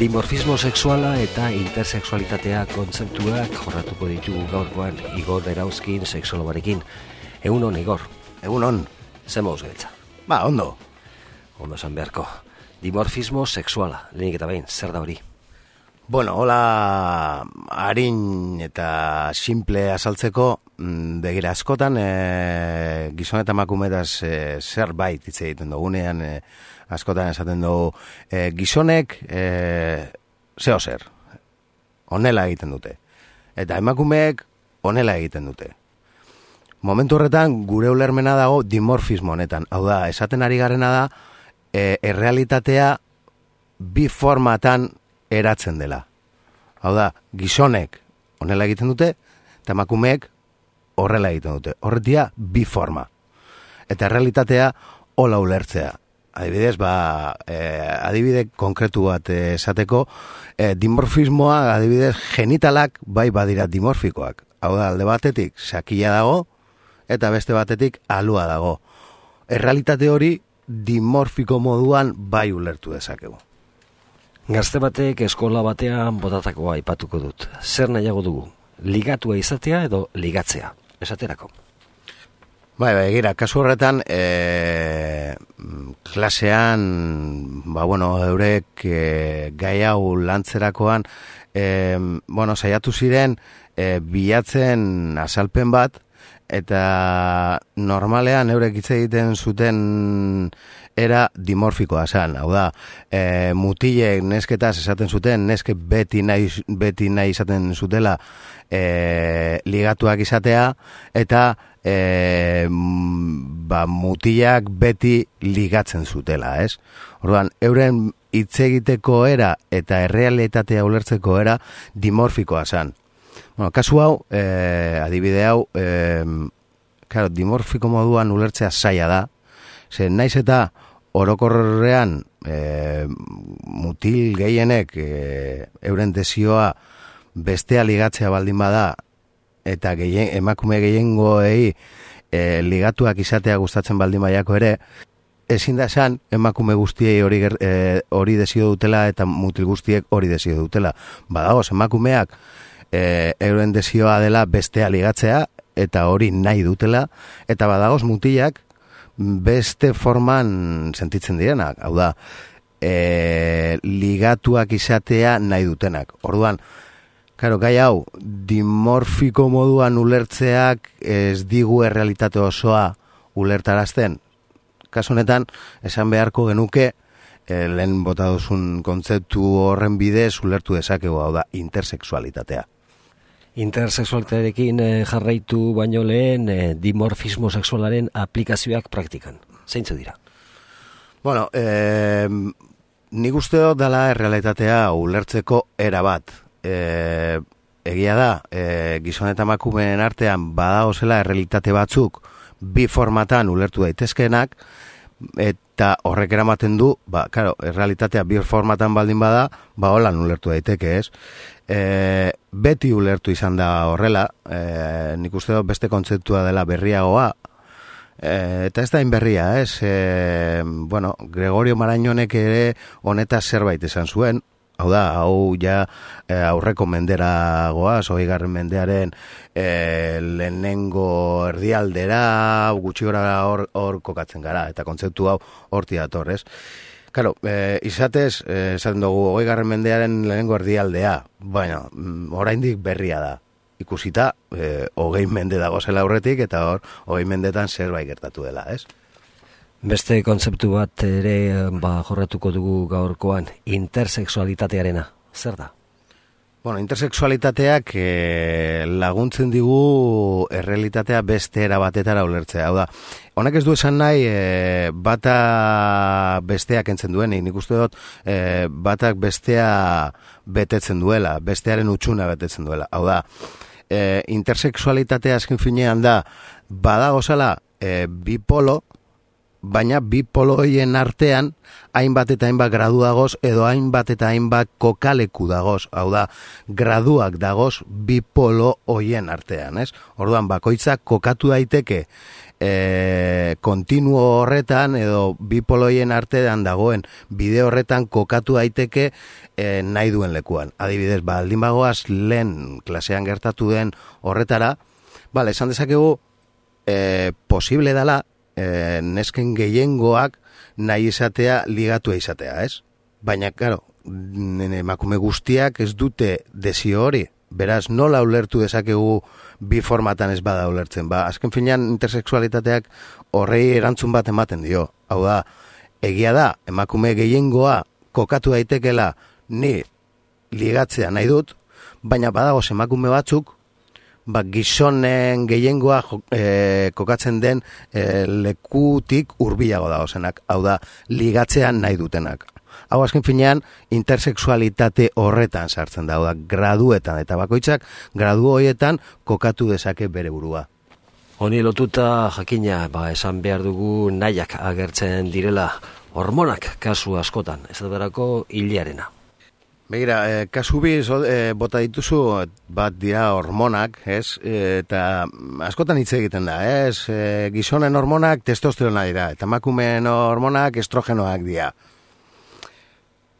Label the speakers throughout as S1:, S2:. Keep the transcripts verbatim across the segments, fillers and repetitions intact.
S1: Dimorfismo sexuala eta intersexualitatea kontzeptuak jorratuko ditugu gaurkoan Igor Erauzkin sexologarekin. Egunon, Igor.
S2: Egunon.
S1: Zer mauz gaitza?
S2: Ba, ondo.
S1: Ondo esan beharko. Dimorfismo sexuala, lehenik eta behin, zer da hori?
S2: Bueno, hola harin eta simple azaltzeko, begira askotan e, gizon eta emakumeetaz e, zerbait hitz egiten dugunean, e, askotan esaten dugu e, gizonek e, zeo zer, honela egiten dute, eta emakumeek honela egiten dute. Momentu horretan gure ulermena dago dimorfismo honetan, hau da, esaten ari garena da e, errealitatea bi formatan eratzen dela. Hau da, gizonek honela egiten dute, eta emakumeek horrela egiten dute. Horretia bi forma. Eta realitatea hola ulertzea. Adibidez, ba, eh, adibide konkretu bat esateko, eh, dimorfismoa, adibidez, genitalak bai badira dimorfikoak. Hau da, alde batetik sakila dago, eta beste batetik alua dago. Errealitate hori dimorfiko moduan bai ulertu dezakegu.
S1: Gazte batek eskola batean botatakoa aipatuko dut. Zer nahiago dugu? Ligatua izatea edo ligatzea? Esaterako.
S2: Bai, bai, gira, kasu horretan, e, klasean, ba, bueno, eurek e, gai hau lantzerakoan, e, bueno, saiatu ziren, e, bilatzen azalpen bat, eta normalean eurek hitz egiten zuten era dimorfikoa zen, hau da, e, mutilek nesketaz esaten zuten, neske beti nahi, beti nahi izaten zutela e, ligatuak izatea, eta e, ba, mutilak beti ligatzen zutela, ez? Orduan, euren hitz egiteko era eta errealitatea ulertzeko era dimorfikoa zen. Bueno, kasu hau, eh, adibide hau, eh, claro, dimorfiko moduan ulertzea zaila da, ze naiz eta orokorrean eh, mutil gehienek eh, euren desioa bestea ligatzea baldin bada, eta gehien, emakume gehiengoei eh, ligatuak izatea gustatzen baldin baiako ere, ezin da esan emakume guztiei hori, eh, hori desio dutela eta mutil guztiek hori desio dutela. Badagoz, emakumeak E, euren desioa dela bestea ligatzea, eta hori nahi dutela, eta badagoz mutilak beste forman sentitzen direnak, hau da, e, ligatuak izatea nahi dutenak. Orduan, karo, gai hau, dimorfiko moduan ulertzeak ez digu errealitate osoa ulertarazten. Kasu honetan, esan beharko genuke, e, lehen bota duzun kontzeptu horren bidez ulertu dezakegu, hau da, intersexualitatea.
S1: Intersexualitatearekin eh, jarraitu baino lehen eh, dimorfismo sexualaren aplikazioak praktikan. Zeintzu dira?
S2: Bueno, eh, nik uste dut dela errealitatea ulertzeko era bat. Eh, egia da, eh, gizon eta emakumeen artean badaozela errealitate batzuk bi formatan ulertu daitezkeenak, eta horrek eramaten du, ba, claro, errealitatea bi formatan baldin bada, ba, holan ulertu daiteke, ez? E, beti ulertu izan da horrela, e, nik uste dut beste kontzeptua dela berriagoa, e, eta ez da inberria, ez? E, bueno, Gregorio Marañonek ere honetaz zerbait esan zuen, hau da, hau ja e, aurreko mendera goaz, hogeigarren mendearen e, lehenengo erdialdera, gutxi gora hor, hor kokatzen gara, eta kontzeptu hau horti dator, ez? Claro, eh, izatez, eh, esaten dugu, hogeigarren mendearen lehenengo erdialdea, baina, oraindik berria da. Ikusita, eh, hogei mende dago zela aurretik, eta hor, hogei mendetan zerbait gertatu dela, ez?
S1: Beste kontzeptu bat ere ba, jorratuko dugu gaurkoan, intersexualitatearena. Zer da?
S2: Bueno, intersexualitateak eh, laguntzen digu errealitatea beste era batetara ulertzea. Hau da, honek ez du esan nahi eh, bata besteak entzen duenik. Nik uste dut eh, batak bestea betetzen duela, bestearen utxuna betetzen duela. Hau da, eh, intersexualitatea azken finean da, badagozala eh, bipolo, baina bi poloien artean hainbat eta hainbat gradu dagoz, edo hainbat eta hainbat kokaleku dagoz, hau da, graduak dagoz bi polo hoien artean, ez? Orduan, bakoitzak kokatu daiteke e, kontinuo horretan, edo bi poloien artean dagoen bide horretan kokatu daiteke e, nahi duen lekuan. Adibidez, baldin bagoaz lehen klasean gertatu den horretara, bale, esan dezakegu, e, posible dela, E, nesken gehiengoak nahi izatea ligatua izatea, ez? Baina, claro, emakume guztiak ez dute desio hori. Beraz, nola ulertu dezakegu bi formatan ez bada ulertzen. Ba, azken finean intersexualitateak horrei erantzun bat ematen dio. Hau da, egia da, emakume gehiengoa kokatu daitekela ni ligatzea nahi dut, baina badagoz emakume batzuk ba, gizonen gehiengoa e, kokatzen den e, lekutik hurbilago dagozenak, hau da, ligatzean nahi dutenak. Hau azken finean, intersexualitate horretan sartzen da, hau da, graduetan, eta bakoitzak gradu horietan kokatu dezake bere burua.
S1: Honi lotuta jakina, ba, esan behar dugu nahiak agertzen direla hormonak kasu askotan, ez da berako hilearena.
S2: Begira, eh, kasu bi eh, bota dituzu bat dira hormonak, ez? E, eta askotan hitz egiten da, ez? E, gizonen hormonak testosterona dira, eta emakumeen hormonak estrogenoak dira.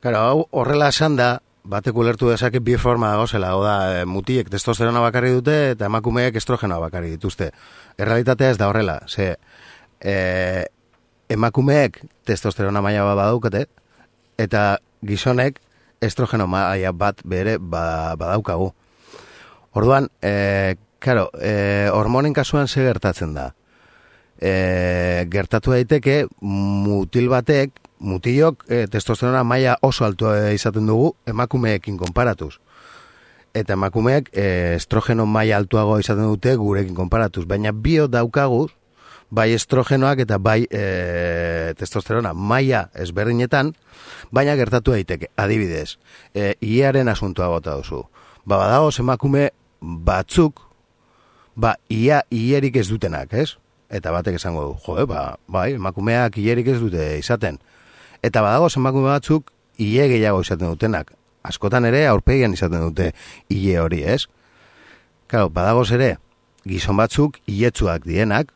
S2: Claro, hau horrela esan da, batek ulertu dezake bi forma dagozela, hau da, mutilek testosterona bakarri dute eta emakumeek estrogenoa bakarri dituzte. Errealitatea ez da horrela, ze e, emakumeek testosterona maila bat badaukate, eta gizonek estrogeno maila bat bere ba, badaukagu. Orduan, e, claro, e, hormonen kasuan ze gertatzen da. E, gertatu daiteke mutil batek, mutilok e, testosterona maila oso altua izaten dugu emakumeekin konparatuz. Eta emakumeek e, estrogeno maila altuago izaten dute gurekin konparatuz. Baina bio daukaguz, bai estrogenoak eta bai e, testosterona maila ezberdinetan, baina gertatu daiteke, adibidez, e, iaren asuntoa bota duzu. Ba, badagoz emakume batzuk, ba, ia ierik ez dutenak, ez? Eta batek esango du, jo, ba, bai, emakumeak ierik ez dute izaten. Eta badagoz emakume batzuk, ie gehiago izaten dutenak. Askotan ere, aurpegian izaten dute ie hori, ez? Claro, badagoz ere, gizon batzuk, ietzuak dienak,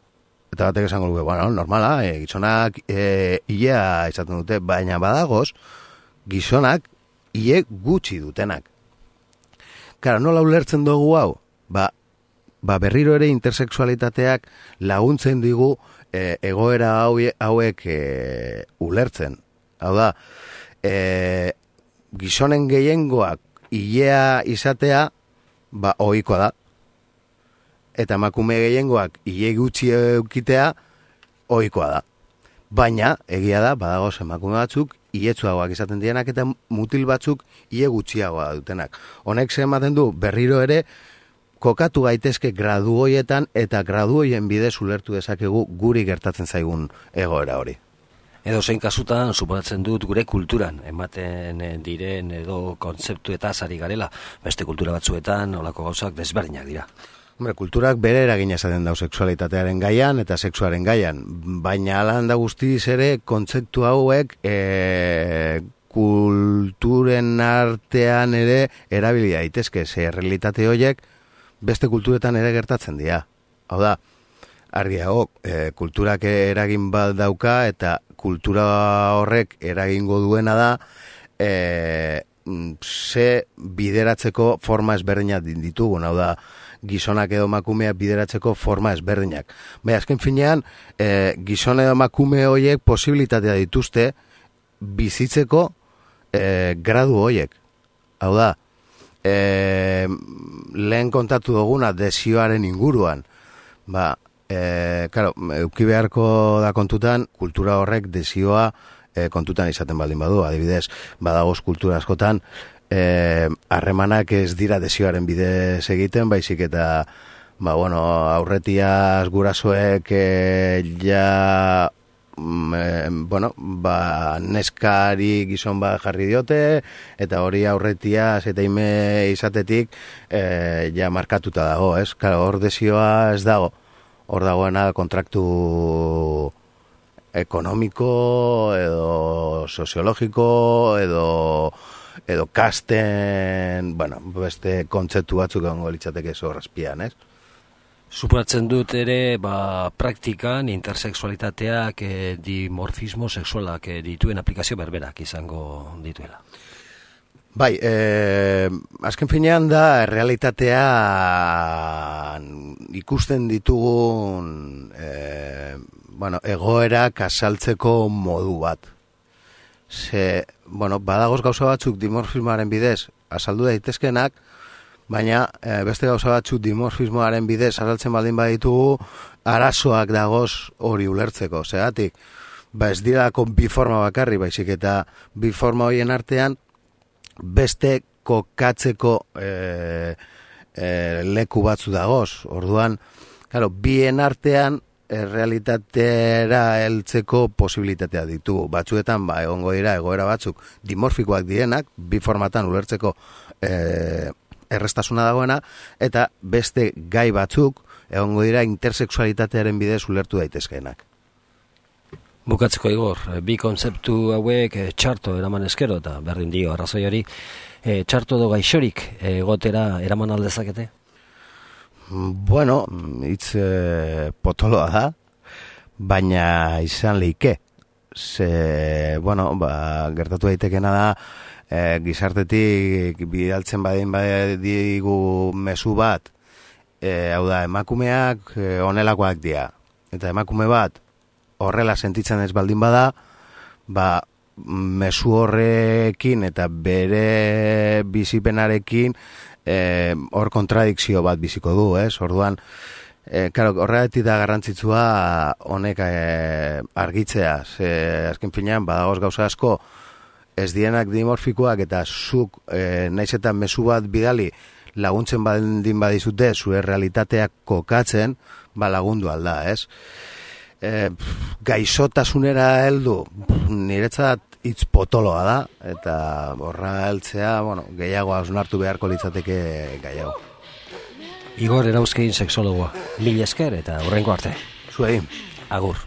S2: eta batek esango dugu, bueno, normala, e, gizonak e, ilea izaten dute, baina badagoz, gizonak ie gutxi dutenak. Kara, nola ulertzen dugu hau? Ba, ba berriro ere intersexualitateak laguntzen digu e, egoera haue, hauek e, ulertzen. Hau da, e, gizonen gehiengoak ilea izatea, ba, ohikoa da. Eta emakume gehiengoak ile gutxi eukitea ohikoa da. Baina, egia da, badagoz emakume batzuk, iletsuagoak izaten dienak eta mutil batzuk ile gutxiagoa dutenak. Honek ze ematen du, berriro ere, kokatu gaitezke gradu hoietan eta gradu hoien bidez ulertu dezakegu guri gertatzen zaigun egoera hori.
S1: Edo zein kasutan, suposatzen dut gure kulturan, ematen diren edo kontzeptuetaz ari garela, beste kultura batzuetan, olako gauzak desberdinak dira.
S2: Hombre, kulturak bere eragina esaten dau sexualitatearen gaian eta sexuaren gaian, baina alan da guztiz ere kontzeptu hauek e, kulturen artean ere erabili daitezke, ze realitate horiek beste kulturetan ere gertatzen dira. Hau da, argiago, e, kulturak eragin bat dauka eta kultura horrek eragingo duena da e, ze bideratzeko forma ezberdinak ditugun, hau da, gizonak edo emakumeak bideratzeko forma ezberdinak. Baina, azken finean, e, gizon edo emakume horiek posibilitatea dituzte bizitzeko e, gradu horiek. Hau da, e, lehen kontatu duguna desioaren inguruan. Ba, e, claro, euki beharko da kontutan, kultura horrek desioa e, kontutan izaten baldin badu. Adibidez, badagoz kultura askotan, harremanak eh, ez dira desioaren bidez egiten, baizik eta ba, bueno, aurretiaz gurasoek eh, ja eh, bueno, ba, neskari gizon bat jarri diote eta hori aurretiaz eta ime izatetik eh, ja markatuta dago, ez? Claro, hor desioa ez dago, hor dagoena kontraktu ekonomiko edo soziologiko edo edo kasten, bueno, beste kontzeptu batzuk egongo litzateke zorrazpian, ez?
S1: Suposatzen dut ere, ba, praktikan intersexualitateak e, dimorfismo sexualak e, dituen aplikazio berberak izango dituela.
S2: Bai, eh, azken finean da realitatea ikusten ditugun eh, bueno, egoerak azaltzeko modu bat. Ze, bueno, badagoz gauza batzuk dimorfismoaren bidez azaldu daitezkenak, baina e, beste gauza batzuk dimorfismoaren bidez azaltzen baldin baditugu, arazoak dagoz hori ulertzeko. Zeratik, ba ez dirako bi forma bakarri, baizik eta bi forma horien artean beste kokatzeko e, e, leku batzu dagoz. Orduan, claro, bien artean errealitatera heltzeko posibilitatea ditugu. Batzuetan, ba, egongo dira egoera batzuk dimorfikoak direnak, bi formatan ulertzeko e, errestasuna dagoena, eta beste gai batzuk egongo dira intersexualitatearen bidez ulertu daitezkeenak.
S1: Bukatzeko, Igor, bi kontzeptu hauek e, txarto eraman eskero, eta berdin dio arrazoi hori, e, txarto do gaixorik egotera eraman aldezakete?
S2: Bueno, hitz e, potoloa da, baina izan leike. Ze, bueno, ba, gertatu daitekena da, e, gizartetik bidaltzen badin badigu mezu bat, e, hau da, emakumeak e, onelakoak dira. Eta emakume bat, horrela sentitzen ez baldin bada, ba, mezu horrekin eta bere bizipenarekin eh, hor kontradikzio bat biziko du, ez? Orduan, eh, claro, horregatik da garrantzitsua honek eh, argitzea, ze azken finean badagoz gauza asko ez dienak dimorfikoak eta zuk eh, naiz eta mezu bat bidali laguntzen baldin badizute zure realitateak kokatzen, ba lagundu alda, ez? E, gaixotasunera heldu niretzat hitz potoloa da, eta horra heltzea, bueno, gehiago hausnartu beharko litzateke gehiago.
S1: Igor Erauzkin sexologoa, mil esker eta hurrengo arte.
S2: Zuei.
S1: Agur.